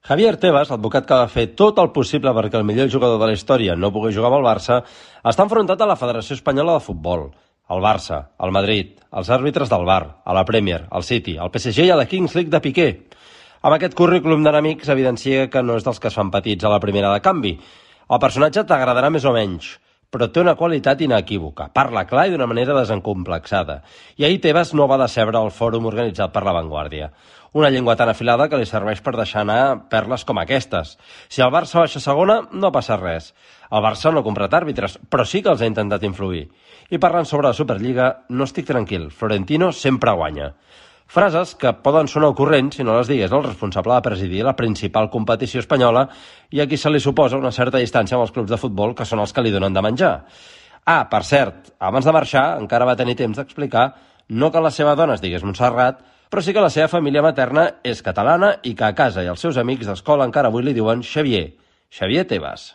Javier Tebas, l'advocat que va fer tot el possible perquè el millor jugador de la història no pogués jugar amb el Barça, està enfrontat a la Federació Espanyola de Futbol, al Barça, al Madrid, als àrbitres del VAR, a la Premier, al City, al PSG i a la Kings League de Piqué. Amb aquest currículum d'enemics evidencia que no és dels que es fan petits a la primera de canvi. El personatge t'agradarà més o menys, però té una qualitat inequívoca. Parla clar i d'una manera desencomplexada. I ahir Tebas no va decebre al fòrum organitzat per La Vanguardia. Una llengua tan afilada que li serveix per deixar anar perles com aquestes. Si el Barça baixa segona, no passa res. El Barça no ha comprat àrbitres, però sí que els ha intentat influir. I parlant sobre la Superliga, no estic tranquil. Florentino sempre guanya. Frases que poden sonar ocorrents si no les digués el responsable de presidir la principal competició espanyola i a qui se li suposa una certa distància amb els clubs de futbol que són els que li donen de menjar. Per cert, abans de marxar encara va tenir temps d'explicar no que la seva dona es digués Montserrat, però sí que la seva família materna és catalana i que a casa i els seus amics d'escola encara avui li diuen Xavier Tebas.